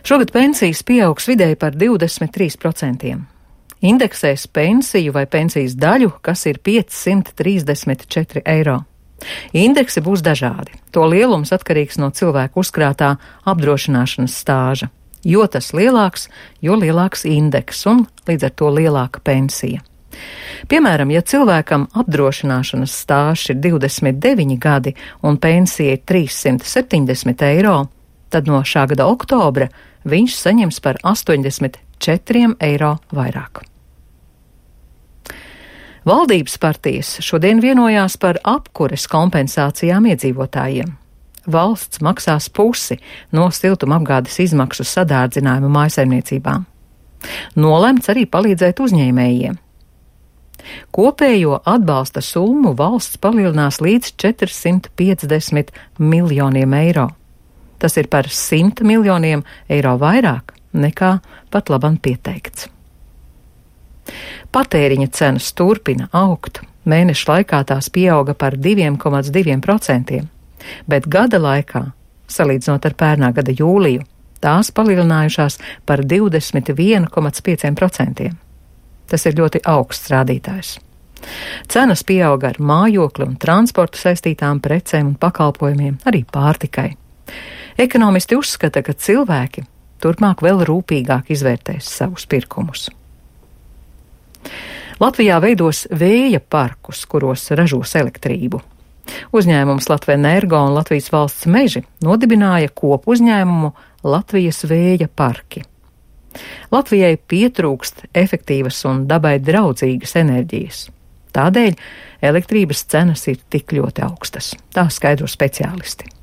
Šogad pensijas pieaugs vidēji par 23%. Indeksēs pensiju vai pensijas daļu, kas ir 534 eiro. Indeksi būs dažādi. To lielums atkarīgs no cilvēka uzkrātā apdrošināšanas stāža. Jo tas lielāks, jo lielāks indeks un līdz ar to lielāka pensija. Piemēram, ja cilvēkam apdrošināšanas stāžs ir 29 gadi un pensija ir 370 eiro, tad no šā gada oktobra viņš saņems par 84 eiro vairāk. Valdības partijas šodien vienojās par apkures kompensācijām iedzīvotājiem. Valsts maksās pusi no siltumapgādes izmaksu sadārdzinājumu mājasaimniecībām. Nolemts arī palīdzēt uzņēmējiem. Kopējo atbalsta summu valsts palielinās līdz 450 miljoniem eiro. Tas ir par 100 miljoniem eiro vairāk nekā pat labam pieteikts. Patēriņa cenas turpina augt. Mēneša laikā tās pieauga par 2,2%, bet gada laikā, salīdzinot ar pērnā gada jūliju, tās palielinājušās par 21,5%. Tas ir ļoti augsts rādītājs. Cenas pieauga ar mājokli un transportu saistītām precēm un pakalpojumiem, arī pārtikai. Ekonomisti uzskata, ka cilvēki turpmāk vēl rūpīgāk izvērtēs savus pirkumus. Latvijā veidos vēja parkus, kuros ražos elektrību. Uzņēmums Latvenergo un Latvijas valsts meži nodibināja kopu uzņēmumu Latvijas vēja parki. Latvijai pietrūkst efektīvas un dabai draudzīgas enerģijas. Tādēļ elektrības cenas ir tik ļoti augstas. Tā skaidro speciālisti.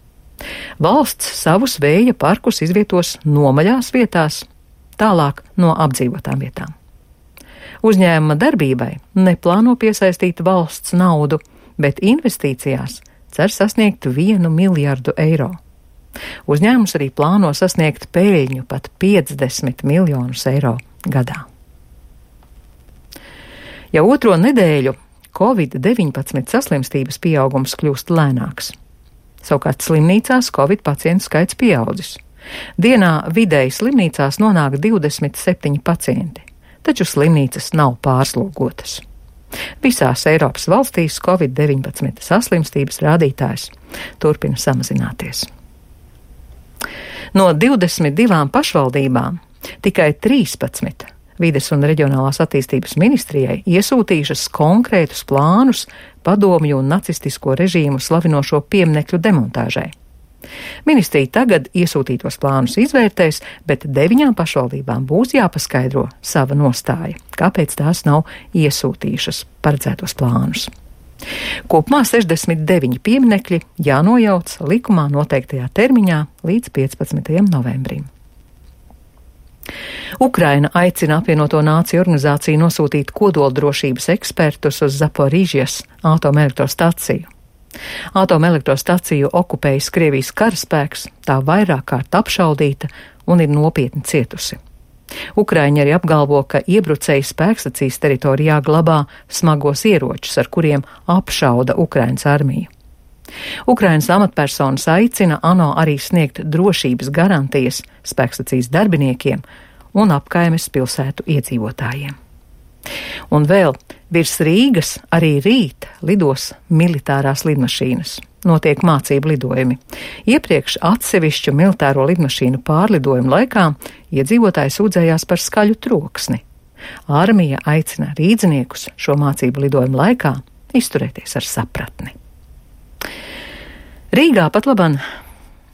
Valsts savus vēja parkus izvietos nomaļās vietās, tālāk no apdzīvotām vietām. Uzņēmuma darbībai neplāno piesaistīt valsts naudu, bet investīcijās cer sasniegt 1 miljardu eiro. Uzņēmums arī plāno sasniegt peļņu pat 50 miljonus eiro gadā. Jau otro nedēļu Covid-19 saslimstības pieaugums kļūst lēnāks. Savukārt slimnīcās Covid pacientu skaits pieaudzis. Dienā vidēji slimnīcās nonāk 27 pacienti, taču slimnīcas nav pārslogotas. Visās Eiropas valstīs Covid-19 saslimstības rādītājs turpina samazināties. No 22 pašvaldībām tikai 13 Vides un reģionālās attīstības ministrijai iesūtījušas konkrētus plānus padomju un nacistisko režīmu slavinošo pieminekļu demontāžai. Ministrija tagad iesūtītos plānus izvērtēs, bet 9 pašvaldībām būs jāpaskaidro sava nostāja, kāpēc tās nav iesūtījušas paredzētos plānus. Kopumā 69 pieminekļi jānojauc likumā noteiktajā termiņā līdz 15. novembrim. Ukraina aicina apvienoto nāciju organizāciju nosūtīt kodoldrošības ekspertus uz Zaporīžijas atomelektrostaciju. Atomelektrostaciju okupējis Krievijas karaspēks, tā vairāk kārt apšaudīta un ir nopietni cietusi. Ukraiņi arī apgalvo, ka iebrucēji spēkstacijas teritorijā glabā smagos ieročus, ar kuriem apšauda Ukrainas armiju. Ukrainas amatpersonas aicina ANO arī sniegt drošības garantijas spēkstacijas darbiniekiem un apkaimes pilsētu iedzīvotājiem. Un vēl virs Rīgas arī rīt lidos militārās lidmašīnas. Notiek mācību lidojumi. Iepriekš atsevišķu militāro lidmašīnu pārlidojumu laikā iedzīvotāji sūdzējās par skaļu troksni. Armija aicina rīdziniekus šo mācību lidojumu laikā izturēties ar sapratni. Rīgā pat laban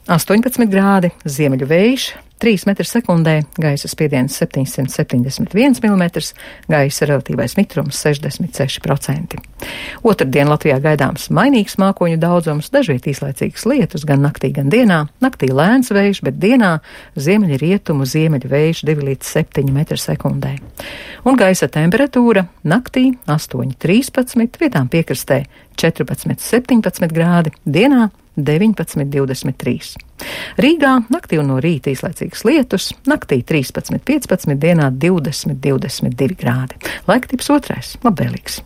18 grādi, ziemeļu vējš, 3 metri sekundē, gaisa spiediens 771 mm, gaisa relatīvais mitrums 66%. Otrdien Latvijā gaidāms mainīgs mākoņu daudzums, dažviet īslaicīgas lietus gan naktī, gan dienā. Naktī lēns vējš, bet dienā ziemeļu rietumu ziemeļu vējš 2 līdz 7 metri sekundē. Un gaisa temperatūra naktī 8,13, vietām piekrastē 14,17 grādi, dienā 19,23. Rīgā naktī un no rīta īslaicīgas lietus, naktī 13,15, dienā 20,22 grādi. Laiktips otrais, labvēlīgs.